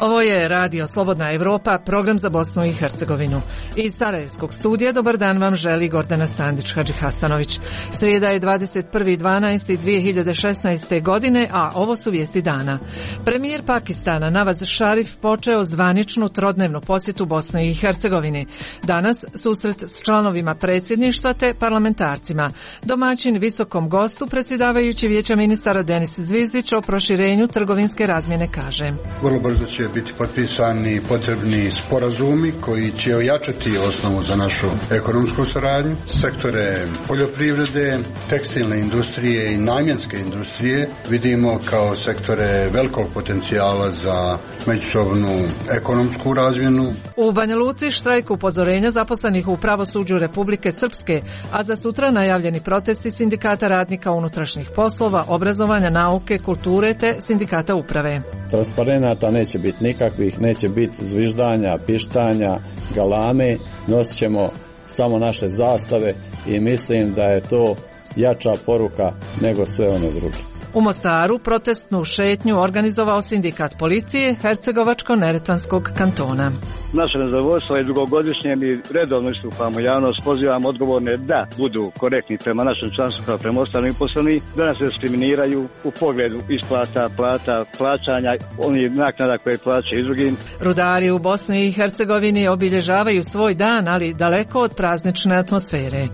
Ovo je Radio Slobodna Evropa, program za Bosnu i Hercegovinu. Iz Sarajevskog studija dobar dan vam želi Gordana Sandić-Hadži Hasanović. Srijeda je 21.12.2016. godine, a ovo su vijesti dana. Premijer Pakistana Nawaz Sharif počeo zvaničnu trodnevnu posjetu Bosne i Hercegovini. Danas susret s članovima predsjedništva te parlamentarcima. Domaćin visokom gostu, predsjedavajući Vijeća ministara Denis Zvizdić, o proširenju trgovinske razmjene kaže: vrlo brzo će biti potpisani potrebni sporazumi koji će ojačati osnovu za našu ekonomsku saradnju. Sektore poljoprivrede, tekstilne industrije i namjenske industrije vidimo kao sektore velikog potencijala za međusobnu ekonomsku razmjenu. U Banja Luci štrajk upozorenja zaposlenih u pravosuđu Republike Srpske, a za sutra najavljeni protesti sindikata radnika unutrašnjih poslova, obrazovanja, nauke, kulture te sindikata uprave. Transparenata neće biti nikakvih, neće biti zviždanja, pištanja, galame, nosit ćemo samo naše zastave i mislim da je to jača poruka nego sve one druge. U Mostaru protestnu šetnju organizovao sindikat policije Hercegovačko-neretvanskog kantona. Naše nezadovoljstvo je dugogodišnje, mi redovno istupamo javnost, pozivamo odgovorne da budu korektni prema našem članstvu kao prema ostalim uposlenim, da nas diskriminiraju u pogledu isplata, plata, plaćanja, oni naknada koje plaćaju i drugim. Rudari u Bosni i Hercegovini obilježavaju svoj dan, ali daleko od praznične atmosfere.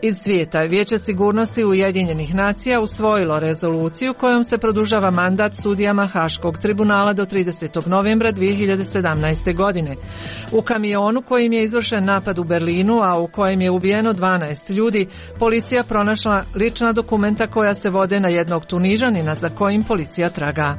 Iz svijeta Vijeće sigurnosti Ujedinjenih nacija usvojilo rezoluciju kojom se produžava mandat sudijama Haškog tribunala do 30. novembra 2017. godine. U kamionu kojim je izvršen napad u Berlinu, a u kojem je ubijeno 12 ljudi, policija pronašla lična dokumenta koja se vode na jednog Tunižanina za kojim policija traga.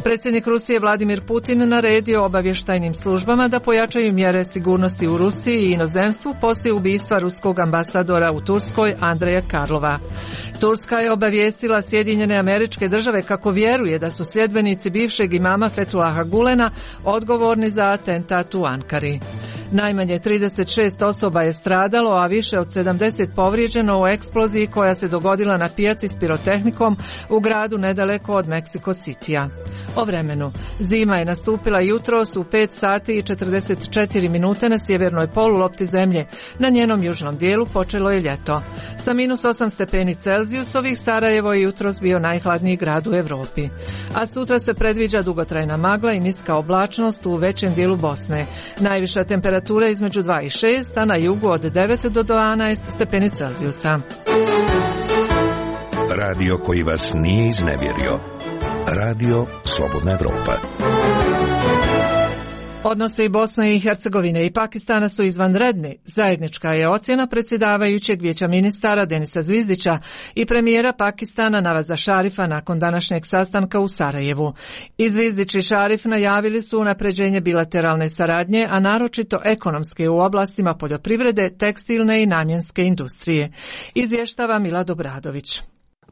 Predsjednik Rusije Vladimir Putin naredio obavještajnim službama da pojačaju mjere sigurnosti u Rusiji i inozemstvu poslije ubistva ruskog ambasadora u Turskoj Andreja Karlova. Turska je obavijestila Sjedinjene Američke Države kako vjeruje da su sljedbenici bivšeg imama Fethullaha Gulena odgovorni za atentat u Ankari. Najmanje 36 osoba je stradalo, a više od 70 povrijeđeno u eksploziji koja se dogodila na pijaci s pirotehnikom u gradu nedaleko od Mexico Citya. O vremenu. Zima je nastupila jutros u 5 sati i 44 minute na sjevernoj polulopti zemlje. Na njenom južnom dijelu počelo je ljeto. Sa -8 stepeni Celzijusovih Sarajevo je jutros bio najhladniji grad u Europi. A sutra se predviđa dugotrajna magla i niska oblačnost u većem dijelu Bosne. Najviša temperatura između 2 i 6, a na jugu od 9 do 12 stepeni Celzijusa. Radio koji vas nije iznevjerio. Radio Slobodna Evropa. Odnosi Bosne i Hercegovine i Pakistana su izvanredni. Zajednička je ocjena predsjedavajućeg Vijeća ministara Denisa Zvizdića i premijera Pakistana Nawaza Sharifa nakon današnjeg sastanka u Sarajevu. I Zvizdić i Sharif najavili su unapređenje bilateralne saradnje, a naročito ekonomske u oblastima poljoprivrede, tekstilne i namjenske industrije. Izvještava Milad Obradović.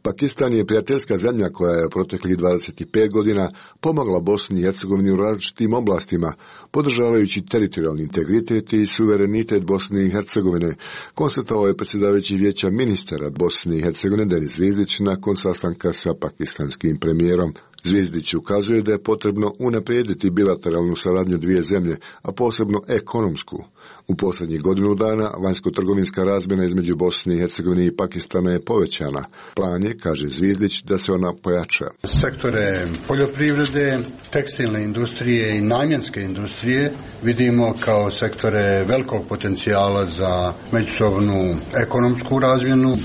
Pakistan je prijateljska zemlja koja je proteklih 25 godina pomogla Bosni i Hercegovini u različitim oblastima, podržavajući teritorijalni integritet i suverenitet Bosne i Hercegovine, konstatovao je predsjedavajući Vijeća ministara Bosne i Hercegovine Denis Zvizdić nakon sastanka sa pakistanskim premijerom. Zvizdić ukazuje da je potrebno unaprijediti bilateralnu saradnju dvije zemlje, a posebno ekonomsku. U posljednjih godinu dana vanjsko-trgovinska razmjena između Bosne i Hercegovine i Pakistana je povećana. Plan je, kaže Zvizdić, da se ona pojača. Sektore poljoprivrede, tekstilne industrije i namjenske industrije vidimo kao sektore velikog potencijala za međusobnu ekonomsku razmjenu.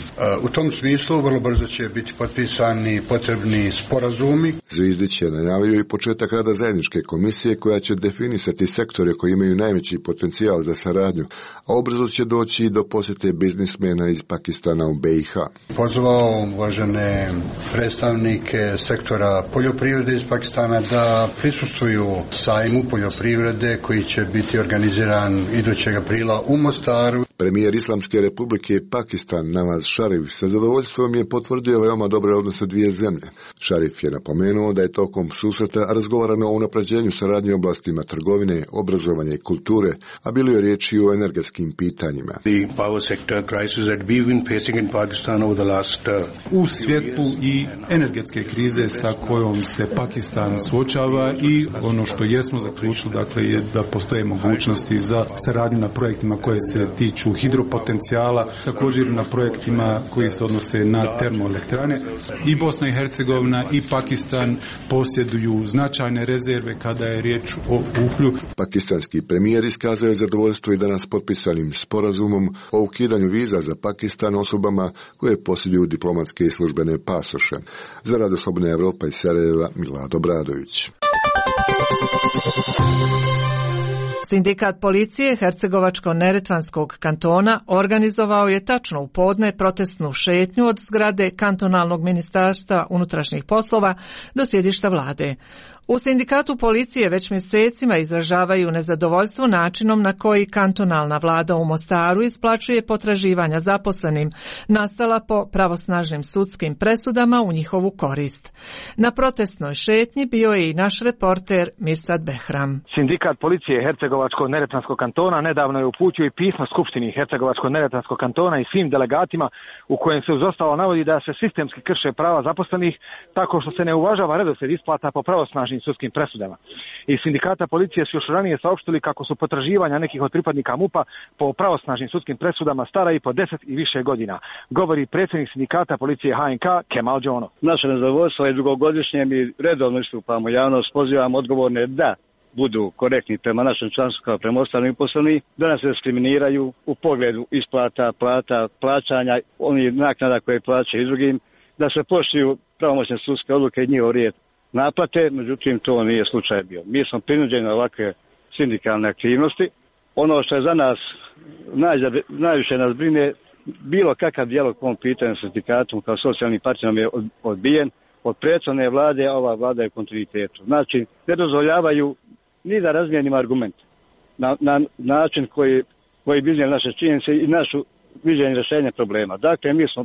U tom smislu vrlo brzo će biti potpisani potrebni sporazumi. Zvizdić je najavio i početak rada zajedničke komisije koja će definisati sektore koji imaju najveći potencijal za saradnju, a ubrzo će doći do posjete biznismena iz Pakistana u BiH. Pozvao uvažene predstavnike sektora poljoprivrede iz Pakistana da prisustvuju sajmu poljoprivrede koji će biti organiziran idućeg aprila u Mostaru. Premijer Islamske republike Pakistan Nawaz Sharif sa zadovoljstvom je potvrdio veoma dobre odnose dvije zemlje. Sharif je napomenuo da je tokom susreta razgovarano o unapređenju saradnje u oblastima trgovine, obrazovanja i kulture, a bilo je riječi o energetskim pitanjima. U svjetlu i energetske krize sa kojom se Pakistan suočava i ono što jesmo zaključili, dakle, je da postoje mogućnosti za saradnju na projektima koje se tiču hidropotencijala, također na projektima koji se odnose na termoelektrane. I Bosna i Hercegovina i Pakistan posjeduju značajne rezerve kada je riječ o uhlju. Pakistanski premijer iskazao je zadovoljstvo i danas potpisanim sporazumom o ukidanju viza za Pakistan osobama koje posjeduju diplomatske i službene pasoše. Za Radio Slobodna Evropa iz Sarajeva, Milado Bradović. Sindikat policije Hercegovačko-neretvanskog kantona organizovao je tačno u podne protestnu šetnju od zgrade kantonalnog ministarstva unutrašnjih poslova do sjedišta vlade. U sindikatu policije već mjesecima izražavaju nezadovoljstvo načinom na koji kantonalna vlada u Mostaru isplaćuje potraživanja zaposlenim, nastala po pravosnažnim sudskim presudama u njihovu korist. Na protestnoj šetnji bio je i naš reporter Mirsad Behram. Sindikat policije Hercegovačko-neretvanskog kantona nedavno je uputio i pismo Skupštini Hercegovačko-neretvanskog kantona i svim delegatima u kojem se uz ostalo navodi da se sistemski krše prava zaposlenih tako što se ne uvažava redoslijed isplata po pravosnažnim sudskim presudama. Iz sindikata policije su još ranije saopštili kako su potraživanja nekih od pripadnika MUP-a po pravosnažnim sudskim presudama stara i po 10 i više godina, govori predsjednik sindikata policije HNK Kemal Džono. Naše nezadovoljstvo je dugogodišnje, mi redovno istupamo javnost, pozivamo odgovorne da budu korektni prema našem članstvu kao prema ostalim uposlenim, da nas diskriminiraju u pogledu isplata, plata, plaćanja, onih naknada koje plaćaju i drugim, da se poštuju pravomoćne sudske odluke i njihov rijed naplate, međutim to nije slučaj bio. Mi smo prinuđeni na ovakve sindikalne aktivnosti. Ono što je za nas najviše nas brine, bilo kakav dijalog po ovom pitanju sa sindikatom kao socijalnim partnerom je odbijen od prethodne vlade, a ova vlada je u kontinuitetu. Znači, ne dozvoljavaju ni da razmijenimo argumente na način koji bi iznijeli naše činjenice i našu viđenje rješenja problema. Dakle, mi smo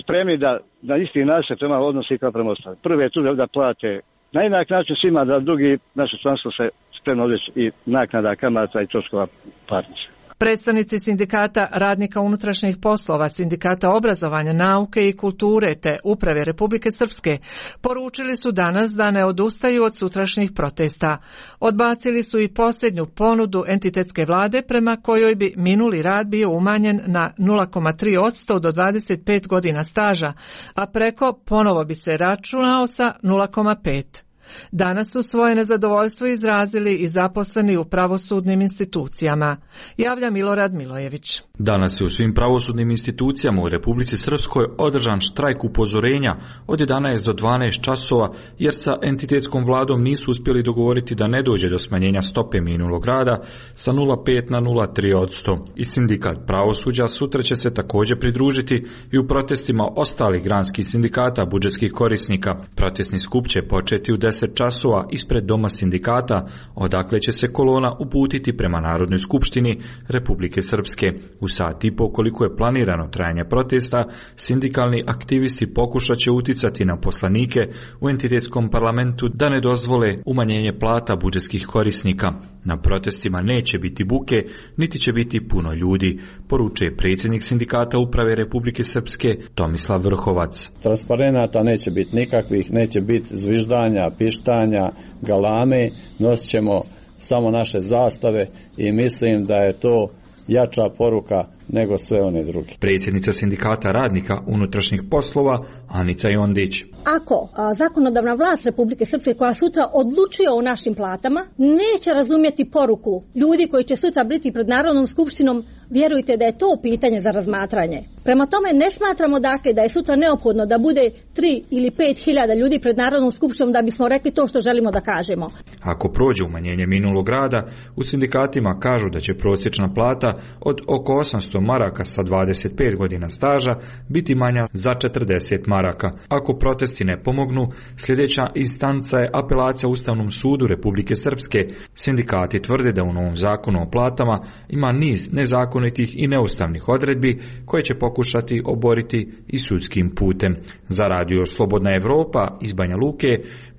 spremni da na isti način prema odnosi kao prema ostalim. Prvi je tu da plate na jednak način svima, da drugi naše članstvo se spremno odreći i naknada, kamata i troškova parnice. Predstavnici sindikata radnika unutrašnjih poslova, sindikata obrazovanja, nauke i kulture te Uprave Republike Srpske poručili su danas da ne odustaju od sutrašnjih protesta. Odbacili su i posljednju ponudu entitetske vlade prema kojoj bi minuli rad bio umanjen na 0,3% do 25 godina staža, a preko ponovo bi se računao sa 0,5%. Danas su svoje nezadovoljstvo izrazili i zaposleni u pravosudnim institucijama, javlja Milorad Milojević. Danas je u svim pravosudnim institucijama u Republici Srpskoj održan štrajk upozorenja od 11 do 12 časova jer sa entitetskom vladom nisu uspjeli dogovoriti da ne dođe do smanjenja stope minulog rada sa 0,5 na 0,3%. I sindikat pravosuđa sutra će se također pridružiti i u protestima ostalih granskih sindikata budžetskih korisnika. Protestni skup će početi u 10 časova ispred Doma sindikata, odakle će se kolona uputiti prema Narodnoj skupštini Republike Srpske. U sat i po koliko je planirano trajanje protesta, sindikalni aktivisti pokušat će uticati na poslanike u entitetskom parlamentu da ne dozvole umanjenje plata budžetskih korisnika. Na protestima neće biti buke, niti će biti puno ljudi, poručuje predsjednik sindikata Uprave Republike Srpske Tomislav Vrhovac. Transparenata neće biti nikakvih, neće biti zviždanja, pištanja, galame, nosit ćemo samo naše zastave i mislim da je to jača poruka nego sve one druge. Predsjednica sindikata radnika unutrašnjih poslova Anica Jondić. Ako zakonodavna vlast Republike Srpske koja sutra odlučuje o našim platama neće razumjeti poruku ljudi koji će sutra biti pred Narodnom skupštinom, vjerujte da je to pitanje za razmatranje. Prema tome ne smatramo dakle da je sutra neophodno da bude 3 ili 5 hiljada ljudi pred Narodnom skupštinom da bismo rekli to što želimo da kažemo. Ako prođe umanjenje minulog rada, u sindikatima kažu da će prosječna plata od oko 800 maraka sa 25 godina staža biti manja za 40 maraka. Ako protesti ne pomognu, sljedeća instanca je apelacija Ustavnom sudu Republike Srpske. Sindikati tvrde da u novom zakonu o platama ima niz nezakonitih nezakonitih i neustavnih odredbi koje će pokušati oboriti i sudskim putem. Za Radio Slobodna Evropa iz Banja Luke,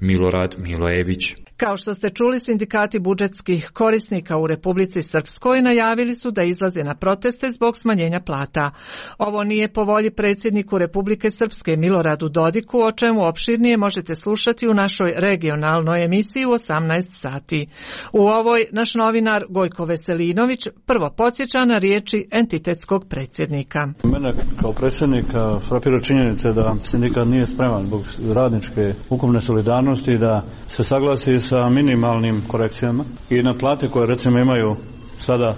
Milorad Milojević. Kao što ste čuli, sindikati budžetskih korisnika u Republici Srpskoj najavili su da izlaze na proteste zbog smanjenja plata. Ovo nije po volji predsjedniku Republike Srpske Miloradu Dodiku, o čemu opširnije možete slušati u našoj regionalnoj emisiji u 18 sati. U ovoj naš novinar Gojko Veselinović prvo podsjeća na riječi entitetskog predsjednika. Mene kao predsjednika frapira činjenica da sindikat nije spreman zbog radničke ukupne solidarnosti da se saglasi sa minimalnim korekcijama i na plate koje recimo imaju sada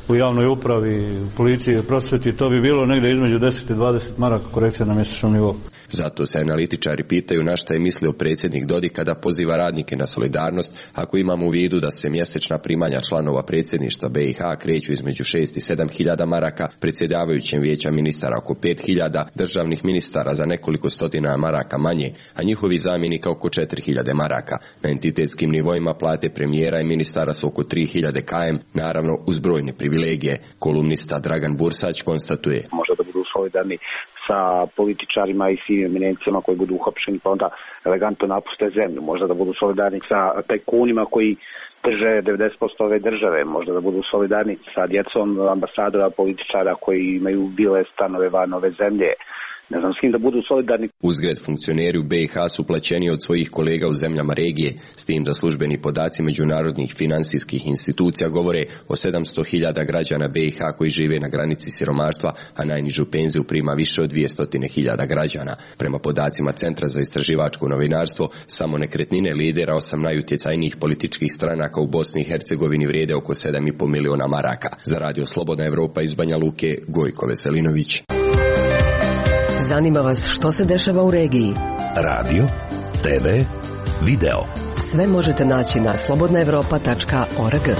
u javnoj upravi, u policiji i prosvjeti, to bi bilo negdje između 10 i 20 maraka korekcija na mjesečnom nivou. Zato se analitičari pitaju na šta je mislio predsjednik Dodik kada poziva radnike na solidarnost, ako imamo u vidu da se mjesečna primanja članova predsjedništva BiH kreću između 6 i 7 hiljada maraka, predsjedavajućem vijeća ministara oko 5 hiljada, državnih ministara za nekoliko stotina maraka manje, a njihovi zamjenika oko 4 hiljade maraka. Na entitetskim nivoima plate premijera i ministara su oko 3 hiljade km, naravno uz brojne privilegije. Kolumnista Dragan Bursać konstatuje: možda da budu solidarni sa političarima i svim eminencijama koji budu uhapšeni pa onda elegantno napuste zemlju. Možda da budu solidarni sa tajkunima koji drže 90% ove države. Možda da budu solidarni sa djecom ambasadora, političara koji imaju bile stanove van ove zemlje. Ne znam s kim da budu solidarni. Uzgred, funkcioneri u BiH su plaćeni od svojih kolega u zemljama regije, s tim da službeni podaci međunarodnih financijskih institucija govore o 700.000 građana BiH koji žive na granici siromaštva, a najnižu penziju prima više od 200.000 građana. Prema podacima Centra za istraživačko novinarstvo, samo nekretnine lidera 8 najutjecajnijih političkih stranaka u Bosni i Hercegovini vrijede oko 7,5 miliona maraka. Za Radio Slobodna Evropa iz Banja Luke, Gojko Veselinović. Zanima vas što se dešava u regiji? Radio, TV, video. Sve možete naći na slobodnaevropa.org.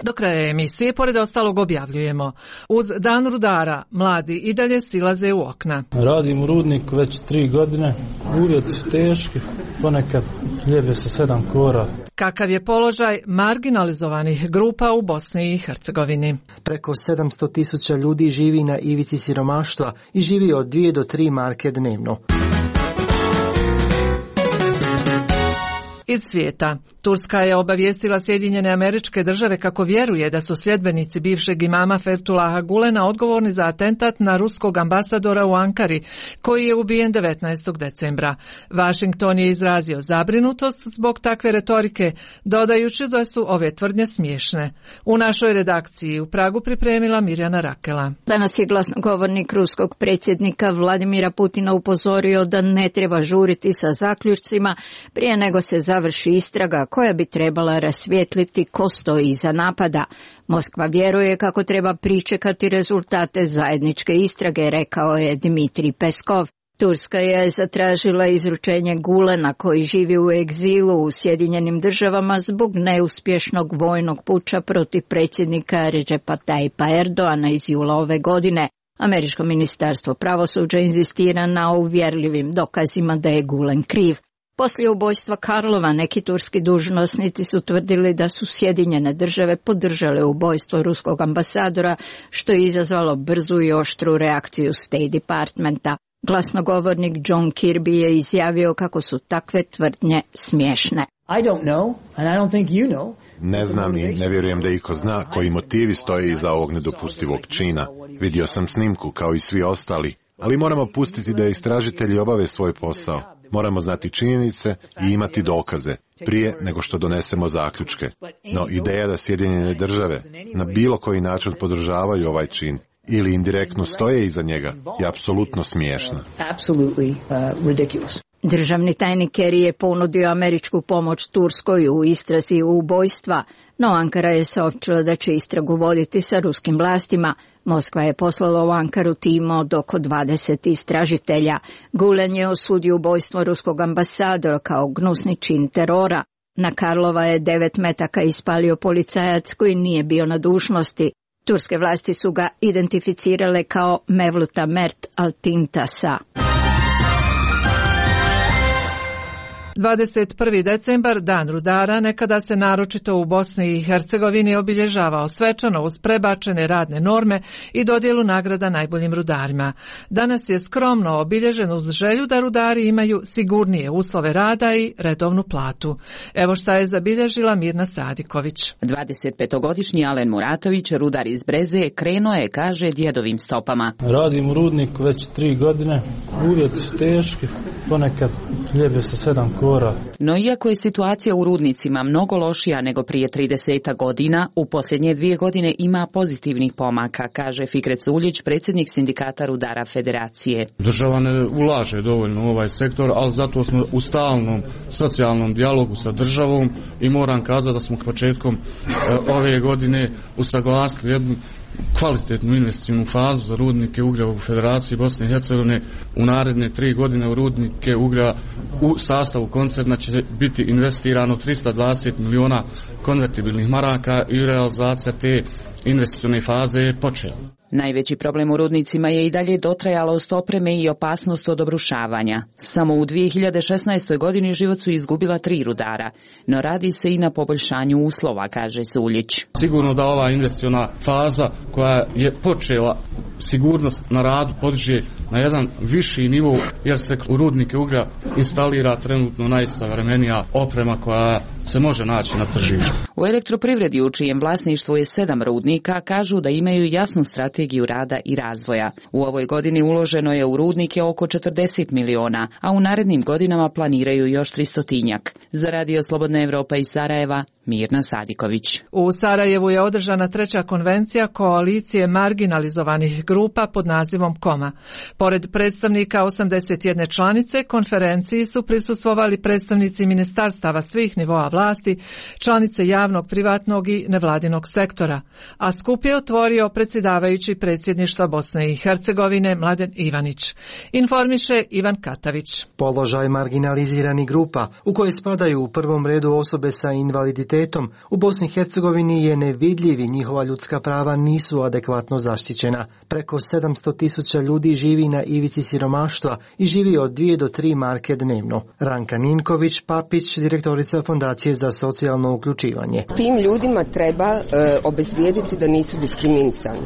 Do kraja emisije, pored ostalog, objavljujemo: uz dan rudara, mladi i dalje silaze u okna. Radim u rudniku već 3 godine, uvjeti su teški, ponekad ljeve se 7 kora. Kakav je položaj marginalizovanih grupa u Bosni i Hercegovini? Preko 700.000 ljudi živi na ivici siromaštva i živi od 2 do 3 marke dnevno. Iz svijeta. Turska je obavijestila Sjedinjene Američke Države kako vjeruje da su sljedbenici bivšeg imama Fethullaha Gulena odgovorni za atentat na ruskog ambasadora u Ankari, koji je ubijen 19. decembra. Washington je izrazio zabrinutost zbog takve retorike, dodajući da su ove tvrdnje smiješne. U našoj redakciji u Pragu pripremila Mirjana Rakela. Danas je glasnogovornik ruskog predsjednika Vladimira Putina upozorio da ne treba žuriti sa zaključcima prije nego se završi istraga koja bi trebala rasvijetliti ko stoji iza napada. Moskva vjeruje kako treba pričekati rezultate zajedničke istrage, rekao je Dmitrij Peskov. Turska je zatražila izručenje Gulena koji živi u egzilu u Sjedinjenim Državama zbog neuspješnog vojnog puča protiv predsjednika Recepa Tayyipa Erdoana iz jula ove godine. Američko ministarstvo pravosuđa inzistira na uvjerljivim dokazima da je Gulen kriv. Poslije ubojstva Karlova neki turski dužnosnici su tvrdili da su Sjedinjene Države podržale ubojstvo ruskog ambasadora, što je izazvalo brzu i oštru reakciju State Departmenta. Glasnogovornik John Kirby je izjavio kako su takve tvrdnje smiješne. Ne znam i ne vjerujem da iko zna koji motivi stoje iza ovog nedopustivog čina. Vidio sam snimku kao i svi ostali, ali moramo pustiti da istražitelji obave svoj posao. Moramo znati činjenice i imati dokaze prije nego što donesemo zaključke. No ideja da Sjedinjene Države na bilo koji način podržavaju ovaj čin ili indirektno stoje iza njega je apsolutno smiješna. Državni tajnik Kerry je ponudio američku pomoć Turskoj u istrazi ubojstva, no Ankara je saopćila da će istragu voditi sa ruskim vlastima. Moskva je poslala u Ankaru tim od oko 20 istražitelja. Gulen je osudio ubojstvo ruskog ambasadora kao gnusni čin terora. Na Karlova je 9 metaka ispalio policajac koji nije bio na dužnosti. Turske vlasti su ga identificirale kao Mevluta Mert Altintasa. 21. decembar, dan rudara, nekada se naročito u Bosni i Hercegovini obilježavao svečano uz prebačene radne norme i dodjelu nagrada najboljim rudarima. Danas je skromno obilježen uz želju da rudari imaju sigurnije uslove rada i redovnu platu. Evo šta je zabilježila Mirna Sadiković. 25-godišnji Alen Muratović, rudar iz Breze, krenuo je, kaže, djedovim stopama. Radim u rudniku već 3 godine, uvjeti su teški, ponekad hljebe sa 7 kora. No iako je situacija u rudnicima mnogo lošija nego prije 30 godina, u posljednje 2 godine ima pozitivnih pomaka, kaže Fikret Suljić, predsjednik sindikata rudara Federacije. Država ne ulaže dovoljno u ovaj sektor, ali zato smo u stalnom socijalnom dijalogu sa državom i moram kazati da smo početkom ove godine usaglasili jednu kvalitetnu investicijnu fazu za rudnike ugljeva u Federaciji Bosne i Hercegovine. U naredne 3 godine u rudnike ugljeva u sastavu koncerna će biti investirano 320 miliona konvertibilnih maraka i realizacija te investicijne faze je počela. Najveći problem u rudnicima je i dalje dotrajalost opreme i opasnost od obrušavanja. Samo u 2016. godini život su izgubila 3 rudara, no radi se i na poboljšanju uslova, kaže Suljić. Sigurno da ova investiciona faza koja je počela sigurnost na radu podiže na jedan viši nivo, jer se u rudnike uglja instalira trenutno najsavremenija oprema koja se može naći na tržištu. U elektroprivredi, u čijem vlasništvu je 7 rudnika, kažu da imaju jasnu strategiju rada i razvoja. U ovoj godini uloženo je u rudnike oko 40 miliona, a u narednim godinama planiraju još 300-tinjak. Za Radio Slobodna Evropa iz Sarajeva, Mirna Sadiković. U Sarajevu je održana 3. konvencija koalicije marginalizovanih grupa pod nazivom KOMA. Pored predstavnika 81 članice, konferenciji su prisustvovali predstavnici ministarstava svih nivoa vlasti, članice javnog, privatnog i nevladinog sektora, a skup je otvorio predsjedavajući predsjedništva Bosne i Hercegovine Mladen Ivanić. Informiše Ivan Katavić. Položaj marginaliziranih grupa, u koje spadaju u prvom redu osobe sa invaliditetom, u Bosni i Hercegovini je nevidljiv i njihova ljudska prava nisu adekvatno zaštićena. Preko 700.000 ljudi živi na ivici siromaštva i živi od 2 do 3 marke dnevno. Ranka Ninković Papić, direktorica Fondacije za socijalno uključivanje. Tim ljudima treba obezvijediti da nisu diskriminisani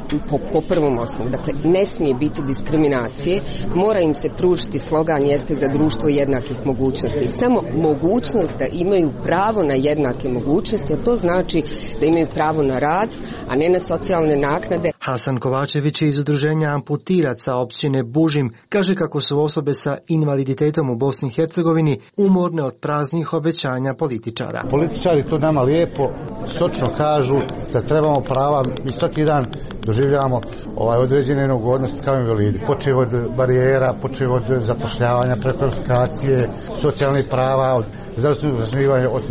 po prvom osnovu. Dakle, ne smije biti diskriminacije, mora im se pružiti, slogan jeste za društvo jednakih mogućnosti. Samo mogućnost da imaju pravo na jednake mogućnosti, a to znači da imaju pravo na rad, a ne na socijalne naknade. Hasan Kovačević iz udruženja Amputiraca općine Bužim kaže kako su osobe sa invaliditetom u Bosni i Hercegovini umorne od praznih obećanja političara. Političari to nama lijepo, sočno kažu da trebamo prava, mi svaki dan doživljavamo određene neugodnosti kao invalidi. Počev od barijera, počev od zapošljavanja, prekvalifikacije, socijalnih prava, od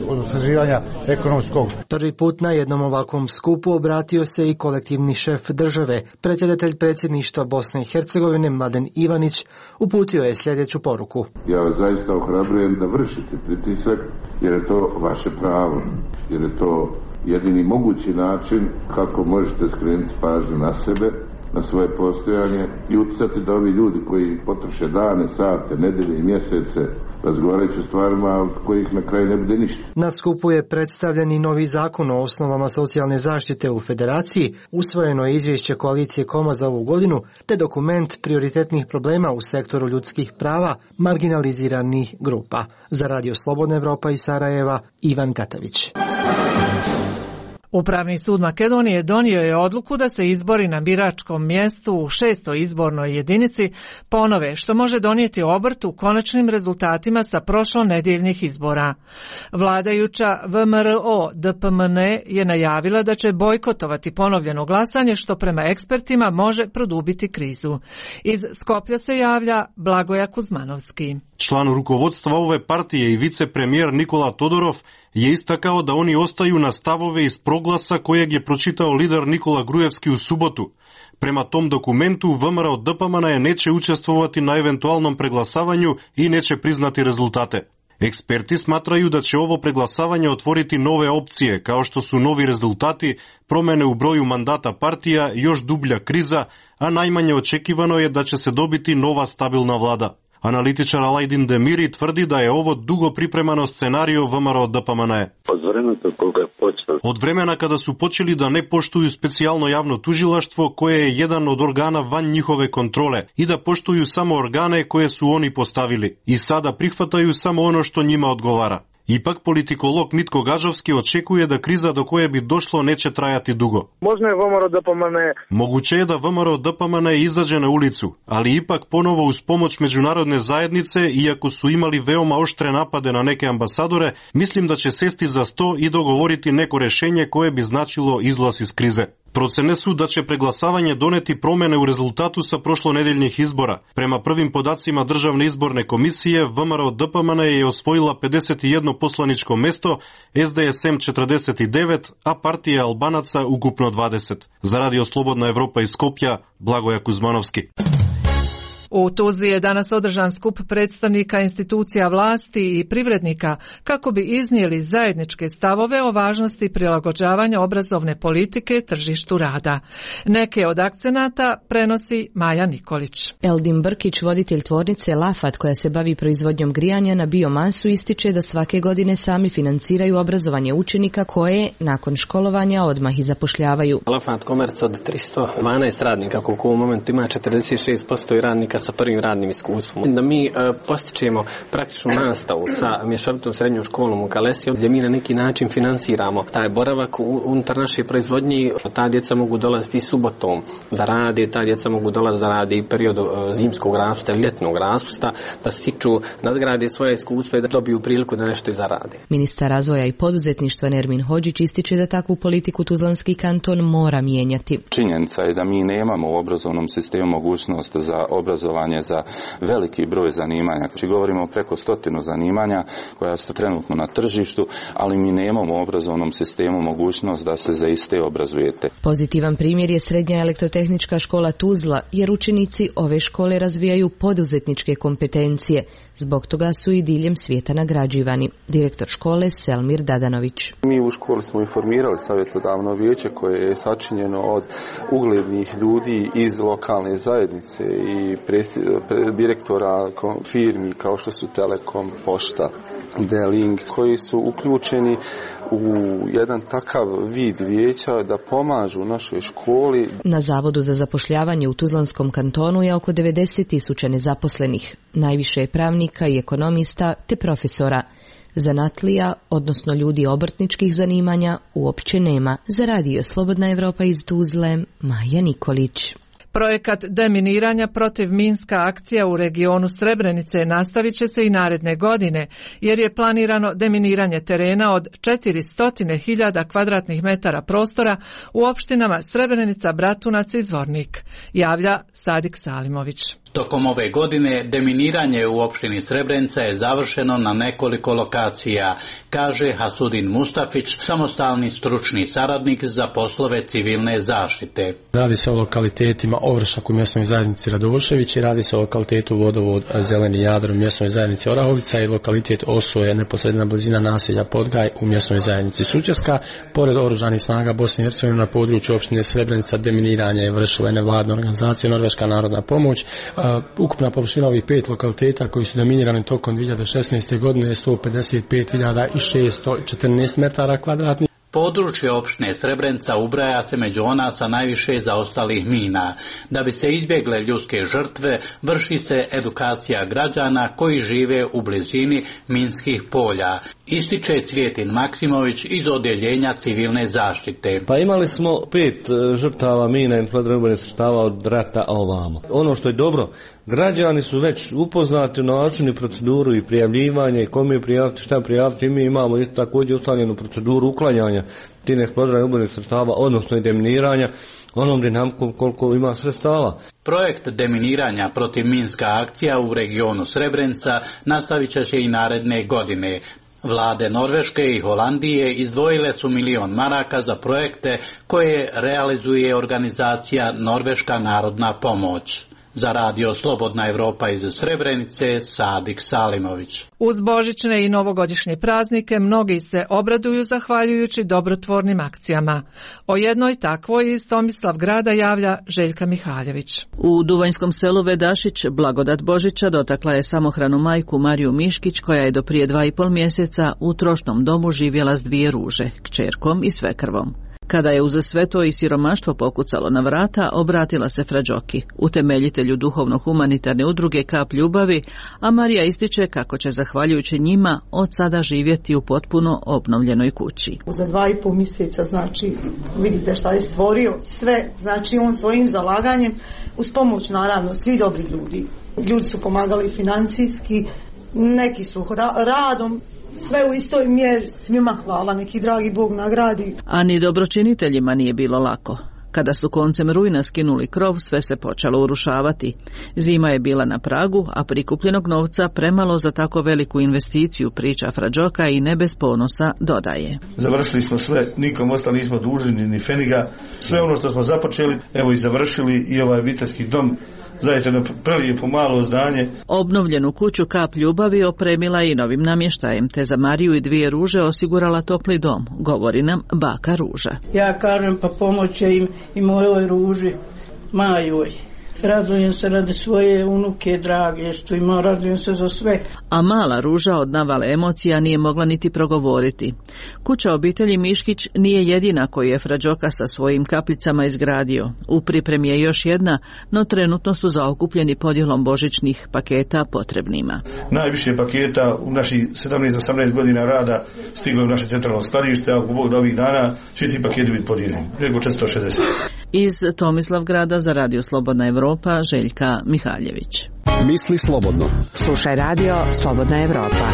osnaživanja ekonomskog. Prvi put na jednom ovakvom skupu obratio se i kolektivni šef države. Predsjedatelj predsjedništva Bosne i Hercegovine Mladen Ivanić uputio je sljedeću poruku. Ja vas zaista ohrabrujem da vršite pritisak jer je to vaše pravo, jer je to jedini mogući način kako možete skrenuti pažnju na sebe, na svoje postojanje i utjecati da ovi ljudi koji potroše dane, sate, nedelje i mjesece razgovarajući o stvarima od kojih na kraju ne bude ništa. Na skupu je predstavljen i novi zakon o osnovama socijalne zaštite u Federaciji, usvojeno je izvješće koalicije KOMA za ovu godinu, te dokument prioritetnih problema u sektoru ljudskih prava marginaliziranih grupa. Za Radio Slobodna Evropa iz Sarajeva, Ivan Katavić. Upravni sud Makedonije donio je odluku da se izbori na biračkom mjestu u 6. izbornoj jedinici ponove, što može donijeti obrt u konačnim rezultatima sa prošlonedjeljnih izbora. Vladajuća VMRO DPMN je najavila da će bojkotovati ponovljeno glasanje, što prema ekspertima može produbiti krizu. Iz Skoplja se javlja Blagoja Kuzmanovski. Član rukovodstva ove partije i vicepremijer Nikola Todorov je istakao da oni ostaju na stavove iz proglasa kojeg je pročitao lider Nikola Grujevski u subotu. Prema tom dokumentu VMRO DPMN neće učestvovati na eventualnom preglasavanju i neće priznati rezultate. Eksperti smatraju da će ovo preglasavanje otvoriti nove opcije, kao što su novi rezultati, promjene u broju mandata partija, još dublja kriza, a najmanje očekivano je da će se dobiti nova stabilna vlada. Analitičar Alajdin Demiri tvrdi da je ovo dugo pripremano scenario VMRO DPMNE. Od vremena kada su počeli da ne poštuju specijalno javno tužilaštvo koje je jedan od organa van njihove kontrole i da poštuju samo organe koje su oni postavili i sada prihvataju samo ono što njima odgovara. Ipak politikolog Mitko Gažovski očekuje da kriza do koje bi došlo neće trajati dugo. Moguće je da VMRO DPMNE izađe na ulicu, ali ipak ponovo uz pomoć međunarodne zajednice, iako su imali veoma oštre napade na neke ambasadore, mislim da će sesti za sto i dogovoriti neko rješenje koje bi značilo izlaz iz krize. Procene su da će preglasavanje doneti promjene u rezultatu sa prošlonedeljnih izbora. Prema prvim podacima Državne izborne komisije, VMRO DPMNE je osvojila 51 poslaničko mesto, SDSM 49, a partija Albanaca ukupno 20. Za Radio Slobodna Evropa iz Skopja, Blagoja Kuzmanovski. U Tuzli je danas održan skup predstavnika institucija vlasti i privrednika kako bi iznijeli zajedničke stavove o važnosti prilagođavanja obrazovne politike tržištu rada. Neke od akcenata prenosi Maja Nikolić. Eldin Brkić, voditelj tvornice Lafat koja se bavi proizvodnjom grijanja na biomasu, ističe da svake godine sami financiraju obrazovanje učenika koje nakon školovanja odmah i zapošljavaju. Lafat Komerc od 312 radnika, koliko u momentu ima 46% radnika sa prvim radnim iskustvom. Da mi postičemo praktičnu nastavu sa mješovitom srednjom školom u Kalesiju, gdje mi na neki način finansiramo taj boravak unutar naše proizvodnje. Ta djeca mogu dolaziti subotom da rade, ta djeca mogu dolaziti da rade i periodu zimskog raspusta ili ljetnog raspusta, da stiču, nadgrade svoje iskustvo i da dobiju priliku da nešto i zarade. Ministar razvoja i poduzetništva Nermin Hodžić ističe da takvu politiku Tuzlanski kanton mora mijenjati. Činjenica je da mi nemamo u obrazovnom sistemu mogućnost za obrazovanje za veliki broj zanimanja. Znači govorimo o preko 100 zanimanja koja su trenutno na tržištu, ali mi nemamo u obrazovnom sistemu mogućnost da se za iste obrazujete. Pozitivan primjer je Srednja elektrotehnička škola Tuzla, jer učenici ove škole razvijaju poduzetničke kompetencije. Zbog toga su i diljem svijeta nagrađivani. Direktor škole Selmir Dadanović. Mi u školi smo informirali savjetodavno vijeće koje je sačinjeno od uglednih ljudi iz lokalne zajednice i direktora firmi kao što su Telekom, Pošta, D-Link, koji su uključeni u jedan takav vid vijeća da pomažu našoj školi. Na Zavodu za zapošljavanje u Tuzlanskom kantonu je oko 90.000 nezaposlenih. Najviše je pravnika i ekonomista te profesora. Zanatlija, odnosno ljudi obrtničkih zanimanja, uopće nema. Za Radio Slobodna Evropa iz Tuzle, Maja Nikolić. Projekat deminiranja protiv minska akcija u regionu Srebrenice nastavit će se i naredne godine, jer je planirano deminiranje terena od 400.000 kvadratnih metara prostora u opštinama Srebrenica, Bratunac i Zvornik, javlja Sadik Salimović. Tokom ove godine deminiranje u opštini Srebrenica je završeno na nekoliko lokacija, kaže Hasudin Mustafić, samostalni stručni saradnik za poslove civilne zaštite. Radi se o lokalitetima Ovršak u mjesnoj zajednici Radošević i radi se o lokalitetu Vodovod Zeleni Jadro u mjesnoj zajednici Orahovica i lokalitet Osoje, neposredna blizina naselja Podgaj u mjesnoj zajednici Sučeska. Pored oružanih snaga Bosne i Hercegovine na području opštine Srebrenica deminiranje je vršila nevladna organizacija Norveška narodna pomoć. Ukupna površina ovih 5 lokaliteta koji su deminirani tokom 2016. godine je 155.614 metara kvadratnih. Područje opštine Srebrenica ubraja se među ona sa najviše zaostalih mina. Da bi se izbjegle ljudske žrtve, vrši se edukacija građana koji žive u blizini minskih polja. Ističe Cvjetin Maksimović iz odjeljenja civilne zaštite. Pa imali smo 5 žrtava mina i protivgradnih sredstava od rata ovamo. Ono što je dobro, građani su već upoznati na način i proceduru i prijavljivanje, kome prijaviti, šta prijaviti. Mi imamo također ustaljenu proceduru uklanjanja tih neeksplodirnih sredstava, odnosno i deminiranja, onom dinamikom koliko ima sredstava. Projekt deminiranja protiv minska akcija u regionu Srebrenica nastavit će se i naredne godine. Vlade Norveške i Holandije izdvojile su 1 milion maraka za projekte koje realizuje organizacija Norveška narodna pomoć. Za radio Slobodna Evropa iz Srebrenice, Sadik Salimović. Uz božićne i novogodišnje praznike mnogi se obraduju zahvaljujući dobrotvornim akcijama. O jednoj takvoj iz Tomislavgrada javlja Željka Mihaljević. U Duvanjskom selu Vedašić blagodat Božića dotakla je samohranu majku Mariju Miškić, koja je do prije 2,5 mjeseca u trošnom domu živjela s 2 ruže, kćerkom i svekrvom. Kada je uz sve to i siromaštvo pokucalo na vrata, obratila se Fra Đoki, utemeljitelju duhovno-humanitarne udruge Kap ljubavi, a Marija ističe kako će zahvaljujući njima od sada živjeti u potpuno obnovljenoj kući. Za 2,5 mjeseca, znači, vidite šta je stvorio sve, znači on svojim zalaganjem, uz pomoć naravno svih dobrih ljudi. Ljudi su pomagali financijski, neki su radom, sve u istoj mjeri, svima hvala, neki dragi Bog nagradi. A ni dobročiniteljima nije bilo lako. Kada su koncem rujna skinuli krov, sve se počelo urušavati. Zima je bila na pragu, a prikupljenog novca premalo za tako veliku investiciju, priča Fra Đoka i ne bez ponosa dodaje. Završili smo sve, nikom ostali nismo dužni ni feniga. Sve ono što smo započeli, evo i završili, i ovaj obiteljski dom. Zaista jedno prelijepo malo zdanje. Obnovljenu kuću Kap ljubavi opremila i novim namještajem, te za Mariju i 2 ruže osigurala topli dom, govori nam baka Ruža. Ja kažem pa pomoće im i mojoj Ruži, Majoj. Radujem se radi svoje unuke drage što ima, radujem se za sve. A mala Ruža od navale emocija nije mogla niti progovoriti. Kuća obitelji Miškić nije jedina koju je Fra Đoka sa svojim kapljicama izgradio. U pripremi je još jedna, no trenutno su zaokupljeni podjelom božićnih paketa potrebnima. Najviše paketa u naših 17-18 godina rada stiglo u naše centralno skladište, a ako Bog da ovih dana svi ti paketi biti podijeljeni. Preko 460. Iz Tomislavgrada za radio Slobodna Evropa, Željka Mihaljević. Misli slobodno. Slušaj radio Slobodna Evropa.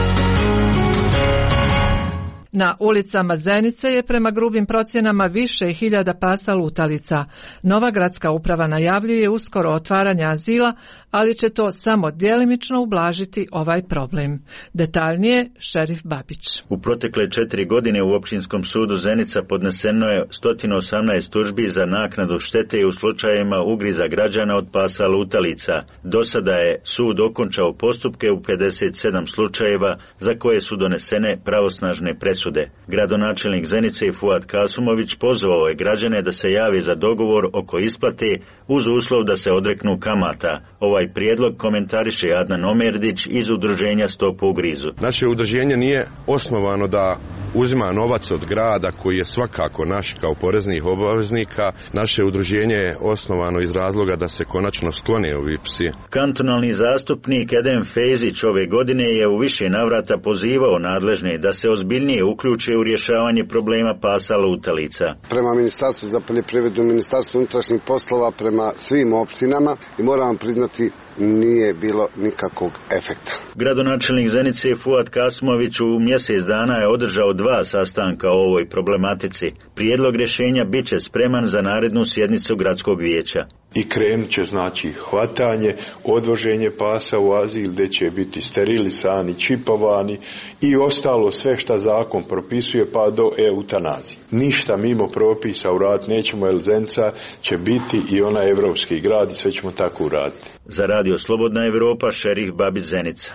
Na ulicama Zenice je prema grubim procjenama više hiljada pasa lutalica. Nova gradska uprava najavljuje uskoro otvaranje azila, ali će to samo djelimično ublažiti ovaj problem. Detaljnije, šerif Babić. U protekle 4 godine u Općinskom sudu Zenica podneseno je 118 tužbi za naknadu štete u slučajevima ugriza građana od pasa lutalica. Do sada je sud okončao postupke u 57 slučajeva za koje su donesene pravosnažne presude. Gradonačelnik Zenice Fuad Kasumović pozvao je građane da se javi za dogovor oko isplate uz uslov da se odreknu kamata. Ovaj prijedlog komentariše Adnan Omerdić iz udruženja Stop ugrizu. Naše udruženje nije osnovano da uzima novac od grada koji je svakako naš kao poreznih obaveznika. Naše udruženje je osnovano iz razloga da se konačno sklone ovi psi. Kantonalni zastupnik Edem Fejzić ove godine je u više navrata pozivao nadležne da se ozbiljnije uključe u rješavanje problema pasa lutalica. Prema Ministarstvu za poljoprivredu, Ministarstvu unutrašnjih poslova, prema svim opštinama, i moram vam priznati, nije bilo nikakvog efekta. Gradonačelnik Zenice Fuad Kasumović u mjesec dana je održao 2 sastanka o ovoj problematici. Prijedlog rješenja bit će spreman za narednu sjednicu gradskog vijeća. I krenut će znači hvatanje, odvoženje pasa u azil gdje će biti sterilisani, čipovani i ostalo sve što zakon propisuje pa do eutanazije. Ništa mimo propisa uraditi nećemo, jer Zenica će biti i ona evropski grad i sve ćemo tako uraditi. Za radio Slobodna Evropa, šerif Babić, Zenica.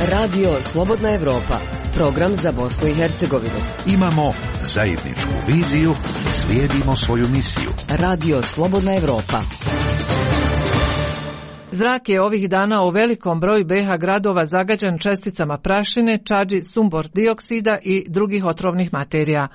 Radio Slobodna Evropa, program za Bosnu i Hercegovinu. Imamo zajedničku viziju, slijedimo svoju misiju. Radio Slobodna Evropa. Zrak je ovih dana u velikom broju BiH gradova zagađen česticama prašine, čađi, sumbor dioksida i drugih otrovnih materija.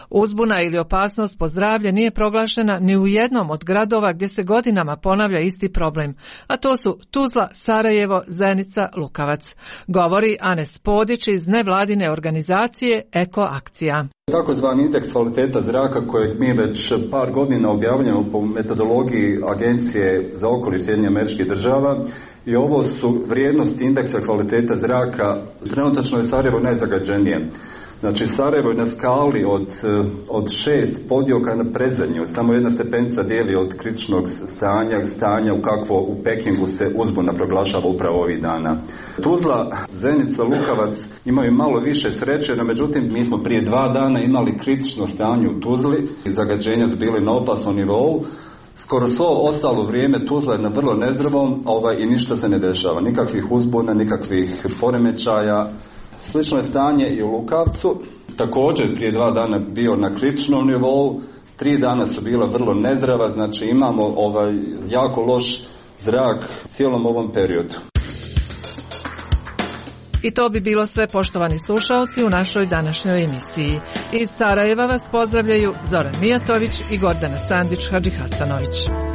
Uzbuna ili opasnost po zdravlje nije proglašena ni u jednom od gradova gdje se godinama ponavlja isti problem, a to su Tuzla, Sarajevo, Zenica, Lukavac. Govori Anes Podić iz nevladine organizacije Eko Akcija. Takozvani indeks kvaliteta zraka kojeg mi već par godina objavljamo po metodologiji Agencije za okoliš SAD-a, i ovo su vrijednosti indeksa kvaliteta zraka. Trenutačno je Sarajevo najzagađenije. Znači Sarajevo je na skali od 6 podioka na predzadnju. Samo jedna stepenica dijeli od kritičnog stanja u kakvo u Pekingu se uzbuna proglašava upravo ovih dana. Tuzla, Zenica, Lukavac imaju malo više sreće, no međutim mi smo prije 2 dana imali kritično stanje u Tuzli i zagađenja su bili na opasnom nivou. Skoro svo ostalo vrijeme Tuzla je na vrlo nezdravom i ništa se ne dešava. Nikakvih uzbuna, nikakvih poremećaja. Slično je stanje i u Lukavcu. Također prije 2 dana bio na kritičnom nivou. 3 dana su bila vrlo nezdrava, znači imamo jako loš zrak cijelom ovom periodu. I to bi bilo sve, poštovani slušalci, u našoj današnjoj emisiji. Iz Sarajeva vas pozdravljaju Zoran Mijatović i Gordana Sandić Hadžihasanović.